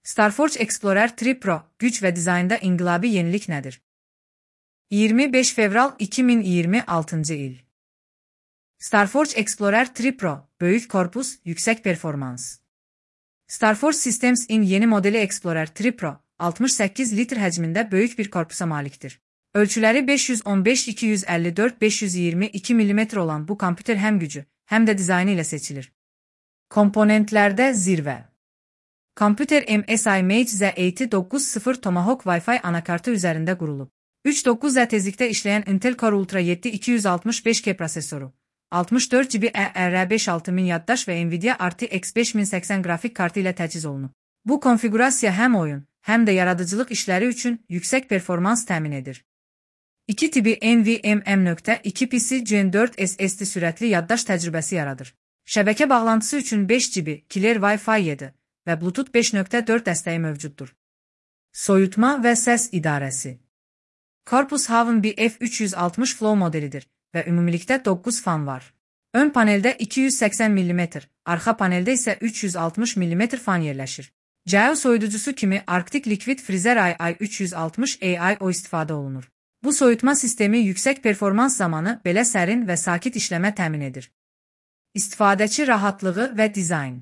StarForge Explorer 3 Pro, güc və dizaynda inqilabi yenilik nədir? 25 fevral 2026 il. StarForge Explorer 3 Pro, böyük korpus, yüksək performans. StarForge Systems'in yeni modeli Explorer 3 Pro, 68 litr həcmində böyük bir korpusa malikdir. Ölçüləri 515-254-522 mm olan bu kompüter həm gücü, həm də dizaynı ilə seçilir. Komponentlərdə zirvə. Kompüter MSI Mage Z80 Tomahawk Wi-Fi anakartı üzərində qurulub. 3.9 tezlikdə işləyən Intel Core Ultra 7 265K prosesoru, 64 GB ER56000 yaddaş və Nvidia RTX 5080 qrafik kartı ilə təchiz olunub. Bu konfigurasiya həm oyun, həm də yaradıcılıq işləri üçün yüksək performans təmin edir. 2 tipi NVMe.2 PC Gen 4 SSD sürətli yaddaş təcrübəsi yaradır. Şəbəkə bağlantısı üçün 5 GB Clear Wi-Fi 7 və Bluetooth 5.4 dəstəyi mövcuddur. Soyutma və səs idarəsi. Corpus Haven BF360 Flow modelidir və ümumilikdə 9 fan var. Ön paneldə 280 mm, arxa paneldə isə 360 mm fan yerləşir. Geo soyuducusu kimi Arctic Liquid Freezer AI360 AIO istifadə olunur. Bu soyutma sistemi yüksək performans zamanı belə sərin və sakit işləmə təmin edir. İstifadəçi rahatlığı və dizayn.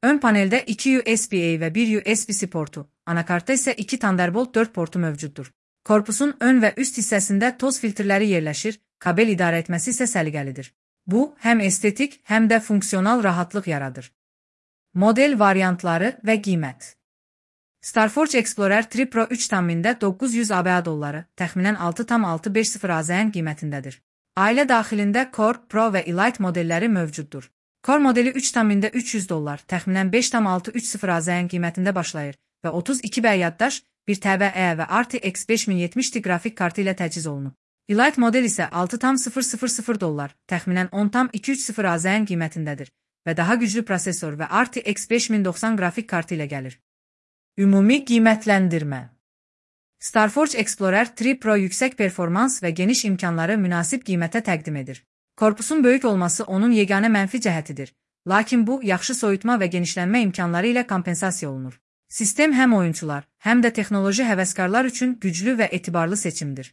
Ön paneldə 2 USB-A və 1 USB-C portu, anakartda isə 2 Thunderbolt 4 portu mövcuddur. Korpusun ön və üst hissəsində toz filtrləri yerləşir, kabel idarə etməsi isə səliqəlidir. Bu, həm estetik, həm də funksional rahatlıq yaradır. Model variantları və qiymət. StarForge Explorer 3 Pro 3 tammində 900 ABA dolları, təxminən 6,650 AZN qiymətindədir. Ailə daxilində Core, Pro və Elite modelləri mövcuddur. Core modeli 3 tammində 300 dollar, təxminən 5,630 AZN qiymətində başlayır və 32 B yaddaş, 1 TB və RTX 5070 qrafik kartı ilə təchiz olunub. Elite model isə 6,000 dollar, təxminən 10,230 AZN qiymətindədir və daha güclü prosesor və RTX 5090 qrafik kartı ilə gəlir. Ümumi qiymətləndirmə. StarForge Explorer 3 Pro yüksək performans və geniş imkanları münasib qiymətə təqdim edir. Korpusun böyük olması onun yeganə mənfi cəhətidir, lakin bu, yaxşı soyutma və genişlənmə imkanları ilə kompensasiya olunur. Sistem həm oyunçular, həm də texnoloji həvəskarlar üçün güclü və etibarlı seçimdir.